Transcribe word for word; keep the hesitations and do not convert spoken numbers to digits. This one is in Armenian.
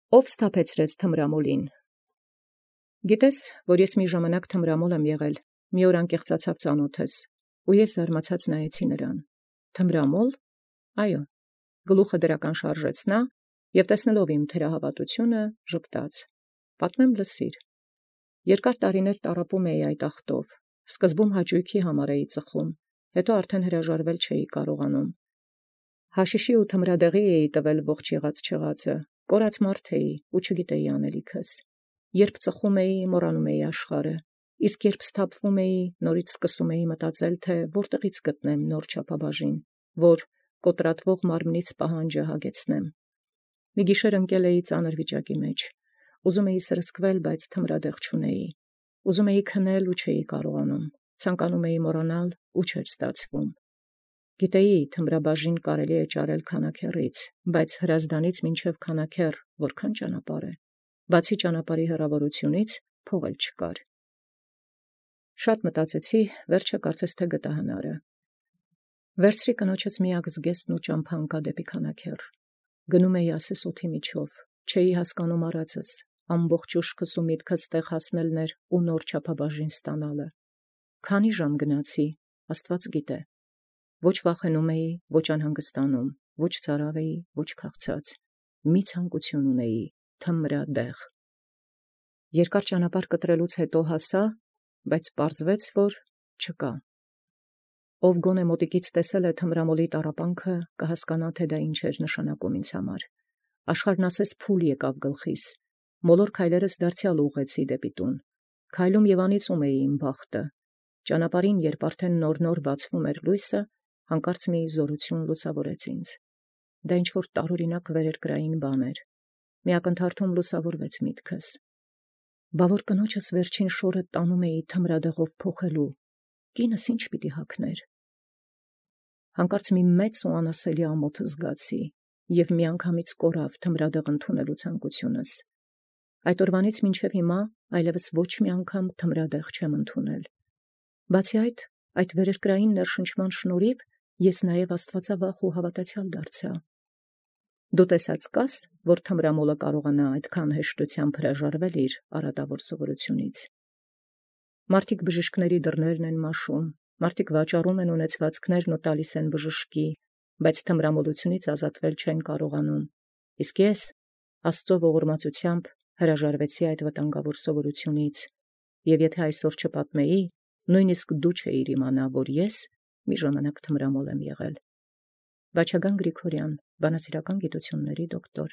Ով սթափեցրեց թմրամոլին։ Գիտես, որ ես մի ժամանակ թմրամոլ եմ եղել, մի օր անկեղծացավ ծանոթս, ու ես զարմացած նայեցի նրան։ Թմրամոլ։ Այո, գլուխը դրական շարժեց նա, և տեսնելով իմ թերահավատությունը, ժպտաց։ Պատմեմ լսիր։ Երկար տարիներ տառապում էի այդ ախտով, սկզբում հաճույքի համար էի ծխում, հետո արդեն հրաժարվել չէի կարողանում։ Հաշիշի ու թմրադեղի էի տվել ողջ եղած չեղածը, կորած մարդ էի ու չգիտեի անելիքս։ Երբ ծխում էի, մոռանում էի աշխարհը, իսկ երբ սթափվում էի, նորից սկսում էի մտածել, թե որտեղից գտնեմ նոր չափաբաժին, որ կոտրատվող մարմնից պահանջը հագեցնեմ։ Մի գիշեր ընկել էի ծանր վիճակի մեջ, ուզում էի սրսկվել, բայց թմրադեղ չունեի, ուզում էի քնել ու չէի կարողանում, ցանկանում էի մոռանալ ու չէր ստացվում։ Գիտեի, թմրաբաժին կարելի է ճարել քանաքեռից, բայց Հրազդանից մինչև քանաքեռ որքան ճանապարհ է, բացի ճանապարհի հեռավորությունից փող էլ չկար։ Շատ մտածեցի, վերջը կարծես թե գտա հնարը։ Վերցրի կնոջս միակ զգեստն ու ճամփա ընկա դեպի քանաքեռ։ Գնում էի ասես օդի միջով, չէի հասկանում արածս, ամբողջ ուշքս ու միտքս տեղ հասնելն էր ու նոր չափաբաժին ստանալը։ Քանի ժամ գնացի, Աստված գիտե։ Ոչ վախենում էի, ոչ անհանգստանում, ոչ ծարավ էի, ոչ քաղցած, մի ցանկություն ունեի թմրադեղ։ Երկար ճանապարհ կտրելուց հետո հասա, բայց պարզվեց, որ չկա։ Ով գոնե մոտիկից տեսել է թմրամոլի տառապանքը, կհասկանա, թե դա ինչ էր նշանակում ինձ համար։ Աշխարհն ասես փուլ եկավ գլխիս, մոլոր քայլերս դարձյալ ուղղեցի դեպի տուն։ Քայլում և անիծում էի իմ բախտը։ Ճանապարհին, երբ արդեն նոր-նոր բացվում էր լույսը, հանկարծ մի զորություն լուսավորեց ինձ։ Դա ինչ-որ տարօրինակ վերերկրային բան էր։ Մի ակնթարթում լուսավորվեց միտքս։ Բա որ կնոջս վերջին շորը տանում էի թմրադեղով փոխելու, կինս ինչ պիտի հագներ։ Հանկարծ մի մեծ ու անասելի ամոթ զգացի, և միանգամից կորավ թմրադեղ ընդունելու ցանկությունս։ Այդ օրվանից մինչև հիմա այլևս ոչ մի անգամ թմրադեղ չեմ ընդունել։ Բացի այդ, այդ վերերկրային ներշնչման շնորհիվ ես նաև աստվածավախ ու հավատացյալ դարձա։ Դու տեսած կաս, որ թմրամոլը կարողանա այդքան հեշտությամբ հրաժարվել իր արատավոր սովորությունից։ Մարդիկ բժիշկների դռներն են մաշում, մարդիկ վաճառում են ունեցվածքներն ու տալիս են բժշկի, բայց թմրամոլությունից ազատվել չեն կարողանում։ Իսկ ես, Աստծո ողորմածությամբ, հրաժարվեցի այդ վտանգավոր սովորությունից, և եթե այսօր չպատմեի, նույնիսկ դու չէիր իմանա, որ ես մի ժամանակ թմրամոլ եմ եղել։ Վաչագան Գրիգորյան, բանասիրական գիտությունների դոկտոր։